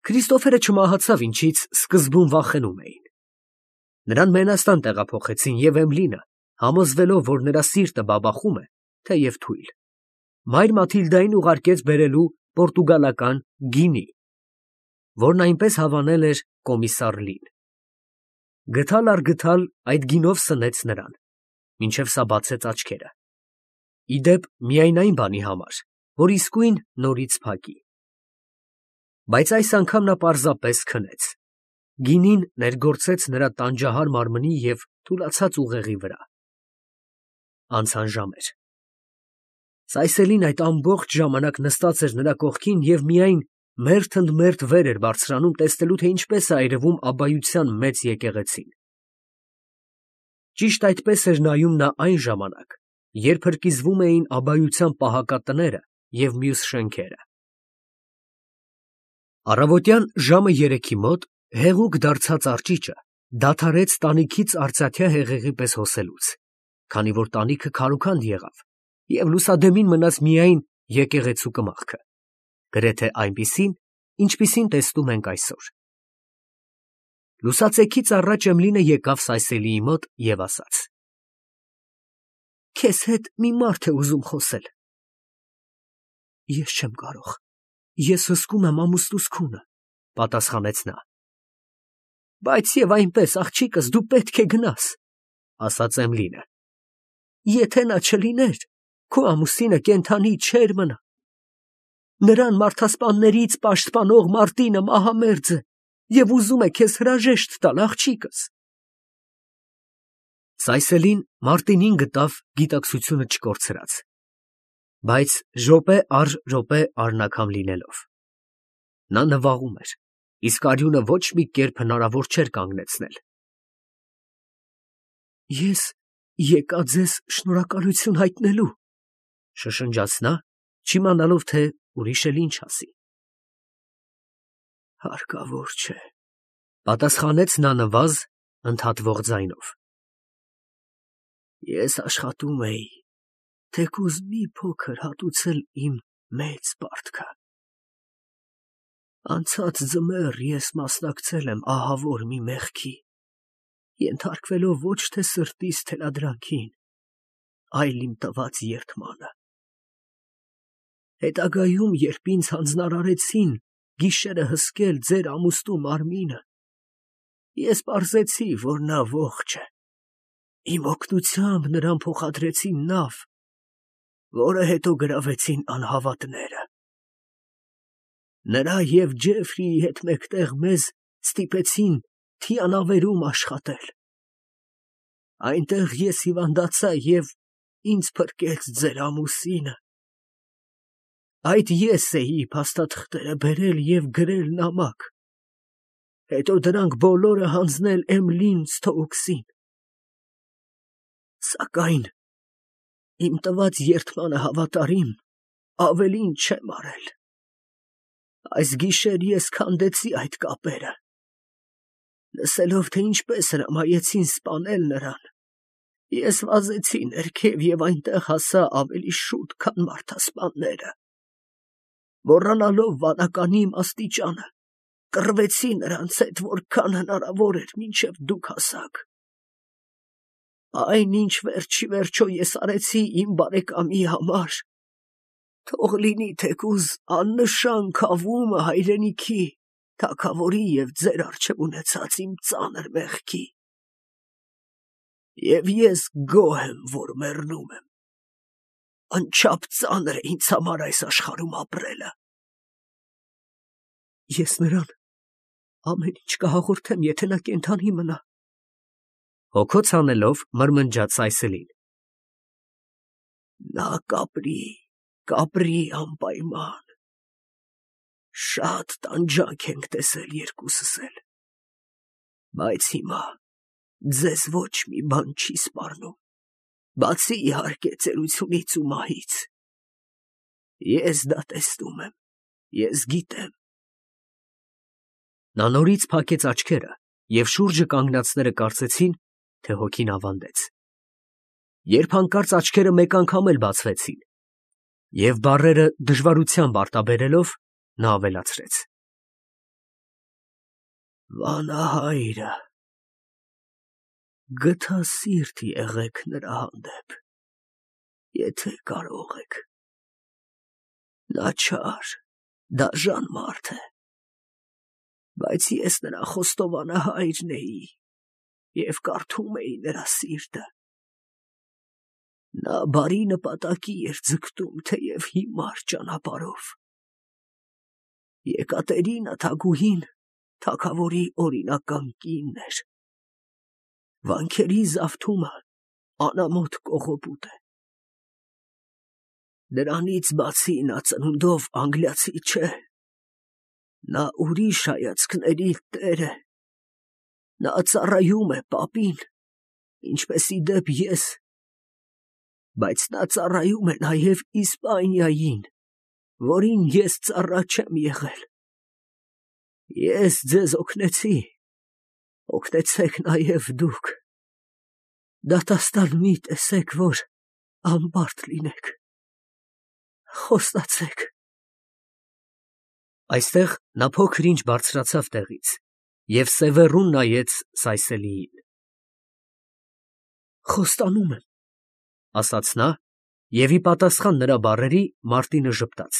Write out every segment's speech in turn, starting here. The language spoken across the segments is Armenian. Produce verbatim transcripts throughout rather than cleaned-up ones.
Քրիստոֆերը չմահացավ, ինչից սկզբում վախենում էին։ Նրան Մենաստան տեղափոխեցին, և Էմլինը, համոզվելով, որ նրա սիրտը բաբախում է, թեև թույլ, մայր Մաթիլդային ուղարկեց բերելու պորտուգալական գինի, որն այնպես հավանել էր կոմիսար Լին։ Գդալ առ գդալ այդ գինով սնեց նրան, մինչև սա բացեց աչքերը, ի դեպ միայն այն բանի համար, որ իսկույն նորից փակի։ Բայց այս անգամ նա պարզապես քնեց, գինին ներգործեց նրա տանջահար մարմնի և թուլացած ուղեղի վրա։ Անցան ժամեր։ Սայսելին այդ ամբողջ ժամանակ նստած էր նրա կողքին և միայն մերթ ընդ մերթ վեր էր բարձրանում, տեսնելու, թե ինչպես է այրվում Աբբայության մեծ եկեղեցին։ Ճիշտ այդպես էր նայում նա այն ժամանակ, երբ հրկիզվում էին Աբբայության պահակատները և մյուս շենքերը։ Առավոտյան ժամը երեքի մոտ հեղուկ դարձած արճիճը դադարեց տանիքից արծաթյա հեղեղի պես հոսելուց, քանի որ տանիքը քարուքանդ եղավ, և լուսադեմին մնաց միայն եկեղեցու կմախքը, գրեթե այնպիսին, ինչպիսին տեսնում ենք այսօր։ Լուսացեքից առաջ Էմլինը եկավ Սայսելիի մոտ և ասաց. «Քեզ հետ մի մարդ է ուզում խոսել»։ «Ես չեմ կարող, ես հսկում եմ ամուսնուս քունը», պատասխանեց նա։ «Բայց և այնպես, աղջիկս, դու պետք է գնաս», ասաց Էմլինը։ «Եթե նա չլիներ, քո ամուսինը կենդանի չէր մնա։ Նրան մարդասպաններից պաշտպանող Մարտինը մահամերձ է և ուզում է քեզ հրաժեշտ տալ, աղջիկս»։ Սայսելին Մարտինին գտավ գիտակցությունը չկորցրած, բայց րոպե առ րոպե արնաքամ լինելով։ Նա նվաղում էր, իսկ արյունը ոչ մի կերպ հնարավոր չէր կանգնեցնել։ «Ես եկա ձեզ շնորհակալություն հայտնելու», շշնջաց նա, չիմանալով, թե ուրիշ էլ ինչ ասի։ «Հարկավոր չէ», պատասխանեց նա նվազ, ընդհատվող ձայնով։ «Ես աշխատում էի, թեկուզ մի փոքր հատուցել իմ մեծ պարտքը։ Անցած ձմեռ ես մասնակցել եմ ահավոր մի մեղքի, ենթարկվելով ոչ թե սրտիս թելադրանքին, այլ իմ տված երդմանը։ Հետագայում, երբ ինձ հանձնարարեցին գիշերը հսկել ձեր ամուսնու մարմինը, ես պարզեցի, որ նա ողջ է։ Իմ օգնությամբ նրան փոխադրեցին նավ, որը հետո գրավեցին անհավատները։ Նրա և Ջեֆրիի հետ մեկտեղ մեզ ստիպեցին թիանավերում աշխատել։ Այնտեղ ես հիվանդացա և ինձ փրկեց ձեր ամուսինը։ Այդ ես էի փաստաթղթերը բերել և գրել նամակ, հետո դրանք բոլորը հանձնել Էմլին Սթոուքսին։ Սակայն իմ տված երդմանը հավատարիմ, ավելին չեմ արել։ Այս գիշեր ես քանդեցի այդ կապերը։ Լսելով, թե ինչպես հրամայեցին սպանել նրան, ես վազեցի ներքև և այնտեղ հասա ավելի շուտ, քան մարդասպանները։ Մոռանալով վանականի իմ աստիճանը, կռվեցի նրանց հետ, որքան հնարավոր էր, մինչև դուք հասաք։ Այն, ինչ վերջ ի վերջո ես արեցի իմ բարեկամի համար, թող լինի թեկուզ աննշան քավումը հայրենիքի, թագավորի և ձեր առջև ունեցած իմ ծանր մեղքի։ Եվ ես գոհ եմ, որ մեռնում եմ։ Անչափ ծանր է ինձ համար այս աշխարհում ապրելը։ Ես նրան ամեն ինչ կհաղորդեմ, եթե նա կենդանի մնա, հոգոց հանելով մրմնջաց Սայսելին։ Նա կապրի, կապրի անպայման։ Շատ տանջանք ենք տեսել երկուսս էլ, բայց հիմա ձեզ ոչ մի բան չի սպառնում, բացի իհարկե ծերությունից ու մահից։ Ես դա տեսնում եմ, ես գիտեմ։ Նա նորից փակեց աչքերը, և շուրջը կանգնածները կարծեցին, թե հոգին ավանդեց։ Երբ հանկարծ աչքերը մեկ անգամ էլ բացվեցին, և բառերը դժվարությամբ արտաբերելով, նա ավելացրեց. Վանահայրը, գթա սիրտ եղեք նրա հանդեպ, եթե կարող եք. նա չար, դաժան մարդ է, բայց ես նրա խոստովանահայրն էի և կարդում էի նրա սիրտը. նա բարի նպատակի էր ձգտում, թեև հիմար ճանապարհով. Եկատերինա թագուհին թագավորի օրինական կինն էր. վանքերի զավթումը անամոթ կողոպուտ է. նրանից բացի նա ծնունդով անգլիացի չէ, նա ուրիշ հայացքների տեր է, նա ծառայում է պապին, ինչպես ի դեպ ես, բայց նա ծառայում է նաև Իսպանիային, որին ես ծառա չեմ եղել. ես ձեզ օգնեցի, օգնեցեք նաև դուք, դատաստան մի տեսեք, որ անբարդ լինեք, խոստացեք։ Այստեղ նա փոքր-ինչ բարձրացավ տեղից և սևեռուն նայեց Սայսելիին. խոստանում եմ, ասաց նա, և ի պատասխան նրա բառերի Մարտինը ժպտաց.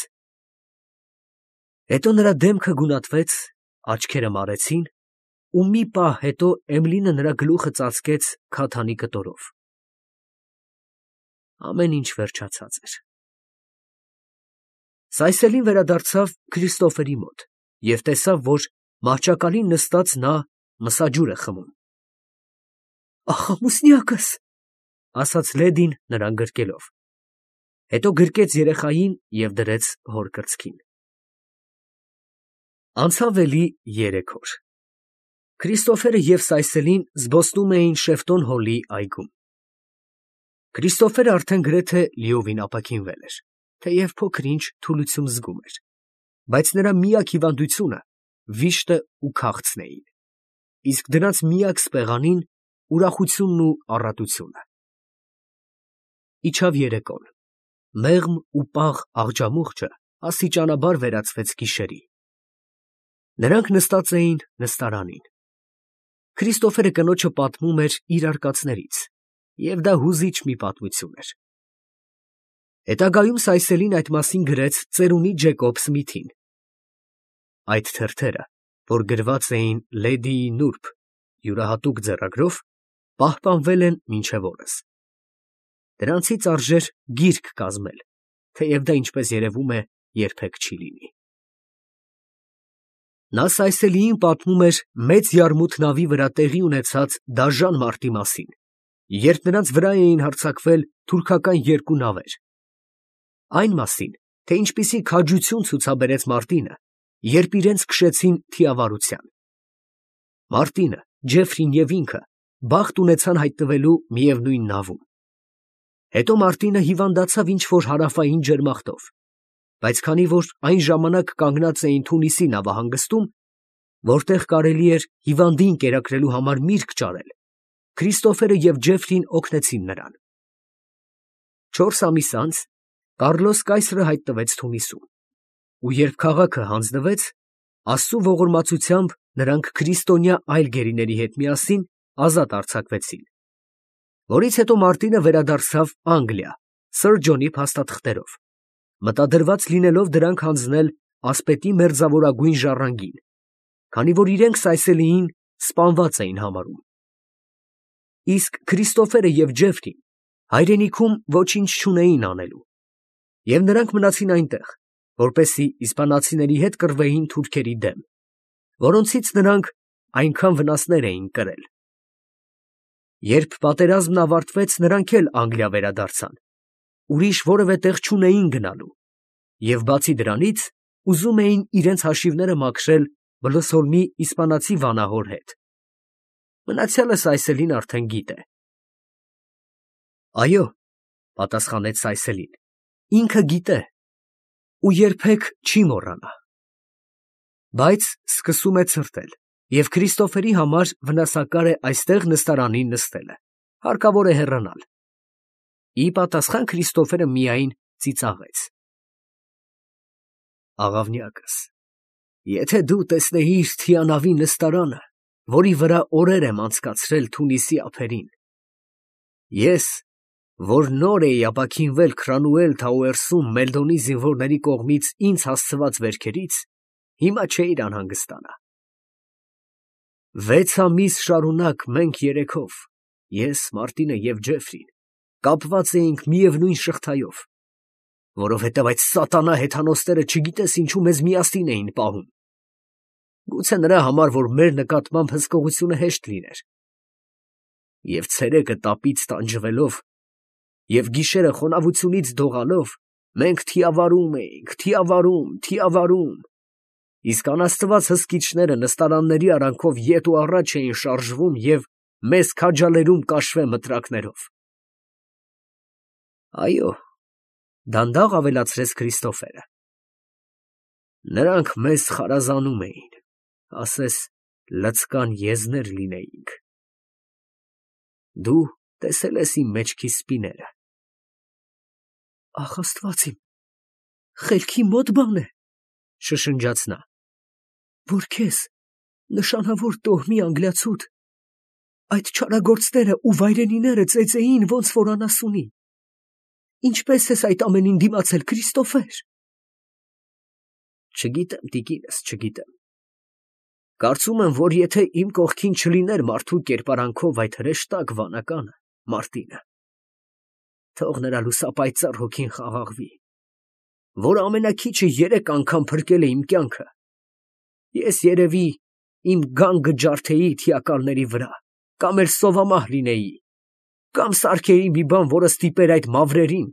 հետո նրա դեմքը գունատվեց, աչքերը մարեցին, ու մի պահ հետո Էմիլին նրա գլուխը ծածկեց քաթանի կտորով։ ամեն ինչ վերջացած էր։ Սայսելին վերադարձավ Քրիստոֆերի մոտ և տեսավ, որ մահճակալին նստած նա մսաջուր է խմում։ Աղամուսնյակս, ասաց լեդին նրան գրկելով, հետո գրկեց երեխային և դրեց հոր կրծքին։ Անցավ էլի երեք օր։ Քրիստոֆերը և Սայսելին զբոսնում էին Շեֆտոն Հոլի այգում։ Քրիստոֆերը արդեն գրեթե լիովին ապաքինվել էր, թեև փոքր-ինչ թուլություն զգում էր, բայց նրա միակ հիվանդությունը վիշտը ու քաղցն էին, իսկ դրանց միակ սպեղանին ուրախությունն ու առատությունը։ Իջավ երեկոն, մեղմ ու պաղ աղջամուղջը աստիճանաբար վերածվեց գիշերի։ Նրանք նստած էին նստարանին։ Քրիստոֆերը կնոջը պատմում էր իր արկածներից, և դա հուզիչ մի պատմություն էր։ Հետագայում Սայսելին այդ մասին գրեց ծերունի Ջեկոբ Սմիթին։ Այդ թերթերը, որ գրված էին լեդիի նուրբ, յուրահատուկ ձեռագրով, պահպանվել են մինչև օրս։ Դրանցից արժեր գիրք կազմել, թեև դա, ինչպես երևում է, երբեք չի լինի։ Նա Սայսելիին պատմում էր մեծ Յարմութ նավի վրա տեղի ունեցած դաժան մարտի մասին, երբ նրանց վրա էին հարձակվել թուրքական երկու նավեր, այն մասին, թե ինչպիսի քաջություն ցուցաբերեց Մարտինը, երբ իրենց քշեցին թիավարության։ Մարտինը, Ջեֆրին և ինքը բախտ ունեցան հայտնվելու միևնույն նավում։ Հետո Մարտինը հիվանդացավ ինչ-որ հարավային ջերմախտով, բայց քանի որ այն ժամանակ կանգնած էին Թունիսի նավահանգստում, որտեղ կարելի էր հիվանդին կերակրելու համար միրգ ճարել, Քրիստոֆերը և Ջեֆրին օգնեցին նրան։ Չորս ամիս անց Կառլոս կայսրը հայտնվեց Թունիսում, ու երբ քաղաքը հանձնվեց, Աստծու ողորմածությամբ նրանք քրիստոնյա այլ գերիների հետ միասին ազատ արձակվեցին, որից հետո Մարտինը վերադարձավ Անգլիա սըր Ջոնի փաստաթղթերով, մտադրված լինելով դրանք հանձնել ասպետի մերձավորագույն ժառանգին, քանի որ իրենք Սայսելիին սպանված էին համարում։ Իսկ Քրիստոֆերը և Ջեֆրին հայրենիքում ոչինչ չունեին անելու, և նրանք մնացին այնտեղ, որպեսզի իսպանացիների հետ կռվեին թուրքերի դեմ, որոնցից նրանք այնքան վնասներ էին կրել։ Երբ պատերազմն ավարտվեց, նրանք էլ Անգլիա վերադարձան, ուրիշ որևէ տեղ չունեին գնալու, և բացի դրանից ուզում էին իրենց հաշիվները մաքրել Բլսորմի իսպանացի վանահոր հետ։ Մնացյալը Սայսելին արդեն գիտե։ Այո, պատասխանեց Սայսելին, ինքը գիտե ու երբեք չի մոռանա։ Բայց սկսում է ցրտել, և Քրիստոֆերի համար վնասակար է այստեղ նստարանին նստելը, հարկավոր է հեռանալ։ Ի պատասխան Քրիստոֆերը միայն ծիծաղեց։ Աղավնյակս, եթե դու տեսնեիր Թիանավի նստարանը, որի վրա օրեր եմ անցկացրել Թունիսի ափերին։ Ես, որ նոր էի ապաքինվել Քրանուել Թաուերսում Մելդոնի զինվորների կողմից ինձ հասցված վերքերից, հիմա չէիր անհանգստանա։ Վեց ամիս շարունակ մենք երեքով, ես, Մարտինը և Ջեֆրին, կապված էինք միևնույն շղթայով, որովհետև այդ սատանա հեթանոսները չգիտես ինչու մեզ միասին էին պահում։ Գուցե նրա համար, որ մեր նկատմամբ հսկողությունը հեշտ լիներ։ Եվ ցերեկը տապից տանջվելով և գիշերը խոնավությունից դողալով, մենք թիավարում էինք, թիավարում, թիավարում, իսկ անաստված հսկիչները նստարանների արանքով ետ ու առաջ էին շարժվում և մեզ քաջալերում կաշվե մտրակներով։ Այո, դանդաղ ավելացրեց Քրիստոֆերը, նրանք մեզ խարազանում էին, ասես լցկան եզներ լինեինք։ Դու տեսել ես իմ մեջքի սպիները։ Ախ, Աստված իմ, խելքի մոտ բան է, շշնջաց նա, որ քեզ, նշանավոր տոհմի անգլիացուդ, այդ չարագործները ու վայրենիները ծեծեին ոնց որ անասունի։ Ինչպես ես այդ ամենին դիմացել, Քրիստոֆեր։ Չգիտեմ, տիկինս, չգիտեմ։ Կարծում եմ, որ եթե իմ կողքին չլիներ մարդու կերպարանքով այդ հրեշտակ վանականը, Մարտինը, թող նրա լուսապայծառ հոգին խաղաղվի, որ ամենաքիչը երեք անգամ փրկել է իմ կյանքը, ես երևի իմ գանգը ջարդեի թիակալների վրա, կամ էլ սովամահ լինեի, կամ սարքեի մի բան, որը ստիպեր այդ մավրերին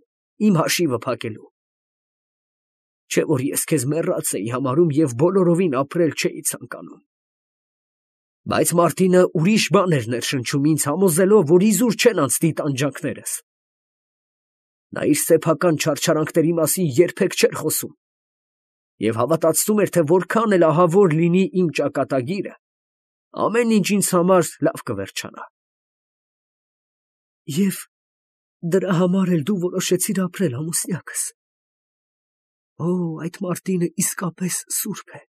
իմ հաշիվը փակելու։ Չէ՞ որ ես քեզ մեռած էի համարում և բոլորովին ապրել չէի ցանկանում։ Բայց Մարտինը ուրիշ բան էր ներշնչում ինձ, համոզելով, որ իզուր չեն անցնի տանջանքներս։ Նա իր սեփական չարչարանքների մասին երբեք չէր խոսում և հավատացնում էր, թե որքան էլ ահավոր լինի իմ ճակատագիրը, ամեն ինչ ինձ համար լավ կվերջանա։ Եվ դրա համար էլ դու որոշեցիր ապրել ամուսնյակս։ Օ, այդ Մարտինը իսկապես սուրբ է,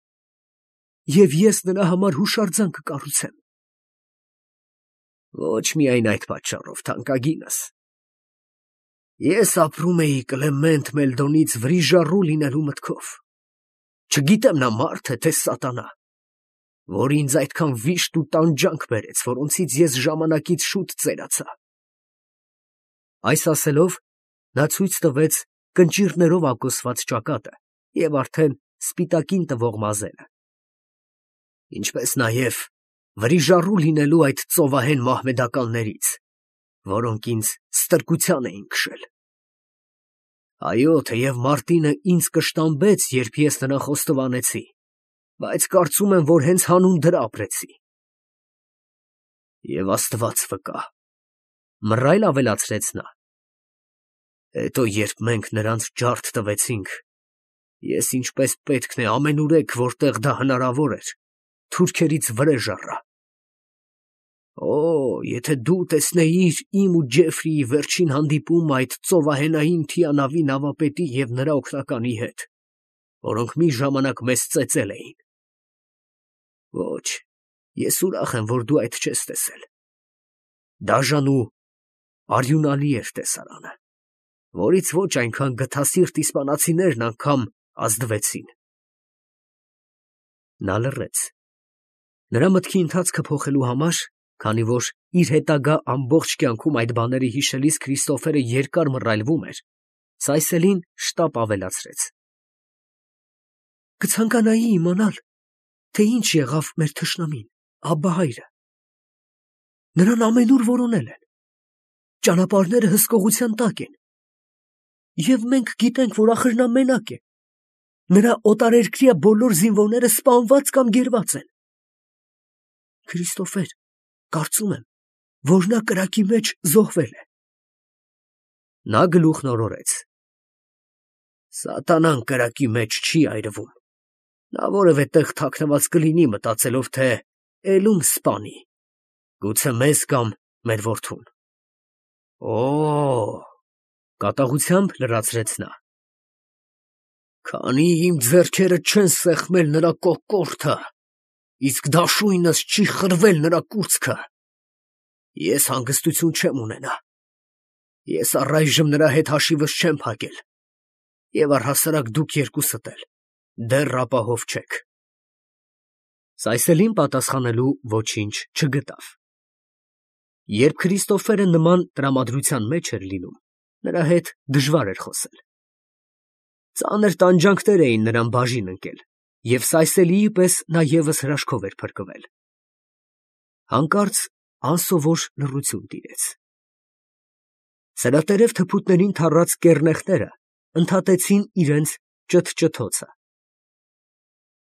և ես նրա համար հուշարձան կկառուցեմ։ Ոչ միայն այդ պատճառով, թանկագինս։ Ես ապրում էի Կլեմենտ Մելդոնից վրիժառու լինելու մտքով։ Չգիտեմ նա մարդ է, թե սատանա, որ ինձ այդքան վիշտ ու տանջանք բերեց, որոնցից ես ժամանակից շուտ ծերացա։ Այս ասելով, նա ցույց տվեց կնճիռներով ափգոսված ճակատը և արդեն սպիտակին տվող մազերը, ինչպես նաև վրիժառու լինելու այդ ծովահեն մահմեդականներից, որոնք ինձ ստրկության էին քշել։ Այո, թեև Մարտինը ինձ կշտամբեց, երբ ես նրան խոստովանեցի, բայց կարծում եմ, որ հենց հանուն դրա ապրեցի։ Եվ Աստված վկա, մռայլ ավելացրեց նա, հետո երբ մենք նրանց ջարդ տվեցինք, ես ինչպես պետք է ամենուրեք, որտեղ դա հնարավոր էր, թուրքերից վրեժ առա։ Օ, եթե դու տեսնեիր իմ ու Ջեֆրիի վերջին հանդիպումը այդ ծովահենային թիանավի նավապետի և նրա օգնականի հետ, որոնք մի ժամանակ մեզ ծեծել էին։ Ոչ, ես ուրախ եմ, որ դու այդ չես տեսել։ Դաժան ու արյունալի էր տեսարանը, որից ոչ այնքան գթասիրտ իսպանացիներն անգամ ազդվեցին։ Նա լռեց։ Նրա մտքի ընթացքը փոխելու համար, քանի որ իր հետագա ամբողջ կյանքում այդ բաները հիշելիս Քրիստոֆերը երկար մռայլվում էր, Սայսելին շտապ ավելացրեց. Կցանկանայի իմանալ, թե ինչ եղավ մեր թշնամին, Աբբահայրը։ Նրան ամենուր որոնել են, ճանապարհները հսկողության տակ են, և մենք գիտենք, որ ախր նա մենակ է, նրա օտարերկրյա բոլոր զինվորները սպանված կամ գերված են։ Քրիստոֆեր, կարծում եմ, որ նա կրակի մեջ զոհվել է։ Նա գլուխն օրորեց. Սատանան կրակի մեջ չի այրվում, նա որևէ տեղ թաքնված կլինի, մտածելով, թե էլում սպանի, գուցե մեզ կամ մեր որդուն։ Օ, կատաղությամբ լրացրեց նա, քանի իմ ձեռքերը չեն սեղմել նրա կոկորդը, իսկ դաշույնս չի խրվել նրա կուրծքը։ Ես հանգստություն չեմ ունենա։ Ես առայժմ նրա հետ հաշիվս չեմ փակել, և առհասարակ դուք երկուսդ էլ դեռ ապահով չեք։ Սայսելին պատասխանելու ոչինչ չգտավ։ Երբ Քրիստոֆերը նման տրամադրության մեջ էր լինում, նրա հետ դժվար էր խոսել։ Ծանր տանջանքներ էին նրան բաժին ընկել, և Սայսելիի պես նա ևս հրաշքով էր փրկվել։ Հանկարծ անսովոր լռություն տիրեց։ Սրատերև թփուտներին թառած կեռնեխները ընդհատեցին իրենց ճթճթոցը։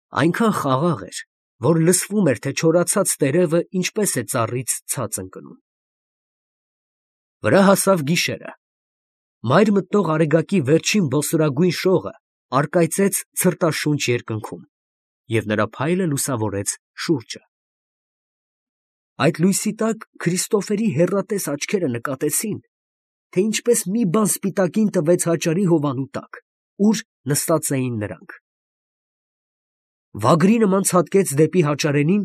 Այնքան խաղաղ էր, որ լսվում էր, թե չորացած տերևը ինչպես է ծառից ցած ընկնում։ Վրա հասավ գիշերը։ Մայր մտնող արեգակի վերջին բոսորագույն շողը առկայծեց ցրտաշունչ երկնքում, և նրա փայլը լուսավորեց շուրջը։ Այդ լույսի տակ Քրիստոֆերի հեռատես աչքերը նկատեցին, թե ինչպես մի բան սպիտակին տվեց հաճարի հովանու տակ, ուր նստած էին նրանք։ Վագրի նման ցատկեց դեպի հաճարենին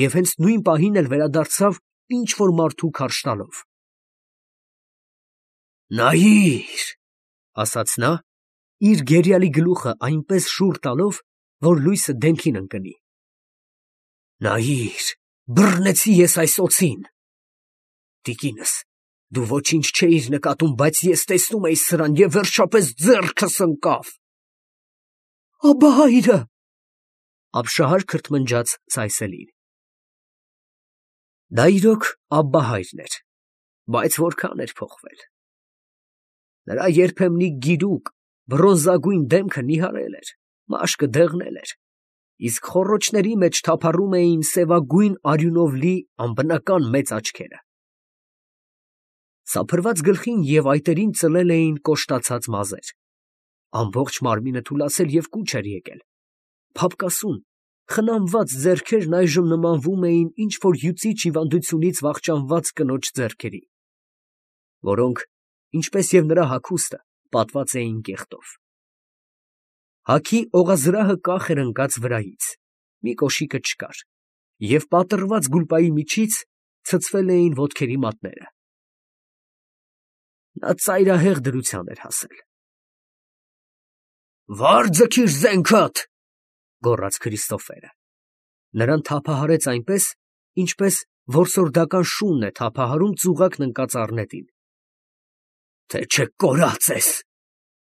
և հենց նույն պահին էլ վերադարձավ ինչ֊որ մարդու քարշ տալով։ «Նայիր», ֊ ասաց նա, իր գերիալի գլուխը այնպես շուռ տալով, որ լույսը դեմքին ընկնի։ «Նայիր, բռնեցի ես այս օձին։ Տիկինս, դու ոչինչ չէիր նկատում, բայց ես տեսնում էի սրան և վերջապես ձեռքս ընկավ»։ «Աբա հայրը», ֊ ապշահար քրթմնջաց Սայսելին։ Դա իրոք աբբա հայրն էր, բայց որքան էր փոխվել։ Նրա երբեմնի գիրուկ, բրոնզագույն դեմքը նիհարել էր, մաշկը դեղնել էր, իսկ խոռոչների մեջ թափառում էին սևագույն արյունով լի անբնական մեծ աչքերը։ Սափրված գլխին և այտերին ծլել էին կոշտացած մազեր։ Ամբողջ մարմինը թուլացել և կուչ էր եկել։ Փափկասուն, խնամված ձեռքերն այժմ նմանվում էին ինչ֊որ հյուծիչ հիվանդությունից վախճանված կնոջ ձեռքերի, որոնք, ինչպես և նրա հագուստը, պատված էին կեղտով։ Հագի օղազրահը կախ էր ընկած վրայից, մի կոշիկը չկար, և պատռված գուլպայի միջից ցցվել էին ոտքերի մատները։ Նա ծայրահեղ դրության էր հասել։ «Վա՛ր ձգիր զենքդ», ֊ գոռաց Քրիստոֆերը։ Նրան թափահարեց այնպես, ինչպես որսորդական շունն է թափահարում ծուղակն ընկած առնետին։ «Թե չէ կորած ես,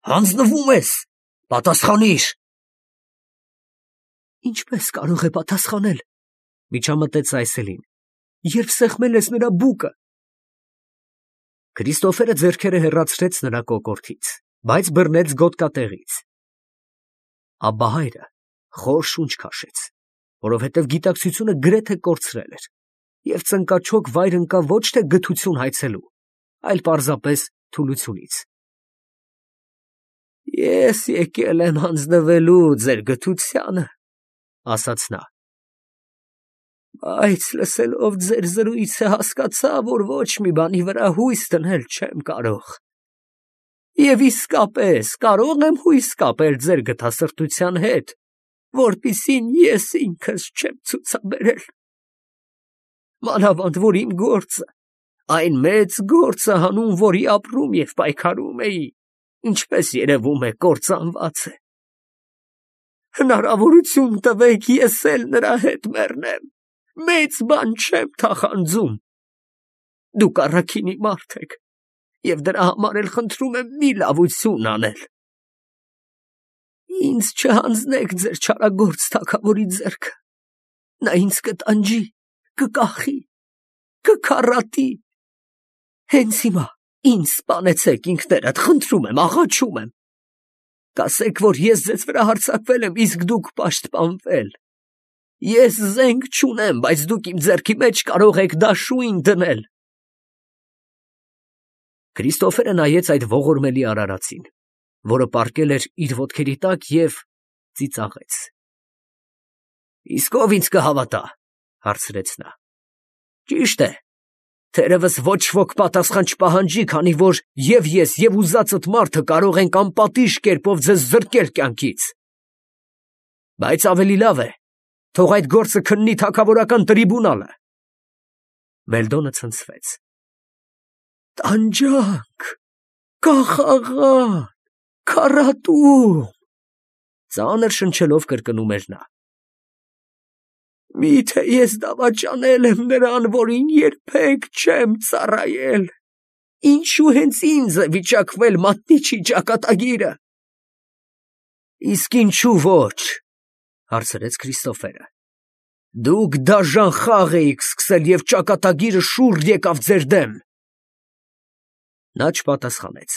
հանձնվում ես, պատասխանիր»։ «Ինչպես կարող է պատասխանել», ֊ միջամտեց Սայսելին, «երբ սեղմել ես նրա բուկը»։ Քրիստոֆերը ձեռքերը հեռացրեց նրա կոկորդից, բայց բռնեց գոտկատեղից։ Աբբա հայրը խոր շունչ քաշեց, որովհետև գիտակցությունը գրեթե կորցրել էր, և ծնկաչոք վայր ընկավ ոչ թե գթություն հայցելու, այլ պարզապես թուլությունից։ «Ես եկել եմ հանձնվելու ձեր գթությանը», ֊ ասաց նա, «բայց լսելով ձեր զրույցը հասկացա, որ ոչ մի բանի վրա հույս դնել չեմ կարող։ Եվ իսկապես կարո՞ղ եմ հույս կապել ձեր գթասրտության հետ, որպեսզի ես ինքս չեմ ցուցաբերել։ Մանավանդ որ իմ գործը, այն մեծ գործը, հանուն որի ապրում և պայքարում էի, ինչպես երևում է, կործանված է։ Հնարավորություն տվեք, ես էլ նրա հետ մեռնեմ, մեծ բան չեմ թախանձում։ Դուք առաքինի մարդ եք, և դրա համար էլ խնդրում եմ մի լավություն անել։ Ինձ չհանձնեք ձեր չարագործ թագավորի ձեռքը, նա ինձ կտանջի, կկախի, կքառատի։ Հենց հիմա ինձ սպանեցեք ինքներդ, խնդրում եմ, աղաչում եմ։ Կասեք, որ ես ձեզ վրա հարձակվել եմ, իսկ դուք պաշտպանվել։ Ես զենք չունեմ, բայց դուք իմ ձեռքի մեջ կարող եք դաշույն դնել»։ Քրիստոֆերը նայեց այդ ողորմելի արարածին, որը պառկել էր իր ոտքերի տակ, և ծիծաղեց։ «Իսկ ով ինձ կհավատա», ֊ հարցրեց նա։ «Ճիշտ է, թերևս ոչ ոք պատասխան չպահանջի, քանի որ և ես, և ուզածդ մարդը կարող ենք անպատիժ կերպով ձեզ զրկել կյանքից։ Բայց ավելի լավ է, Թող այդ գործը քննի թագավորական տրիբունալը։ Մելդոնը ցնցվեց։ Տանջանք, կախաղան, քառատում, ծանր շնչելով կրկնում էր նա։ Միթե ես դավաճանել եմ նրան, որին երբեք չեմ ծառայել, ինչու հենց ինձ է վիճակվել մատնիչի ճակատագիրը։ Իսկ ինչու ոչ, հարցրեց Քրիստոֆերը։ Դուք դաժան խաղ էիք սկսել և ճակատագիրը շուռ եկավ ձեր դեմ։ Նա չպատասխանեց։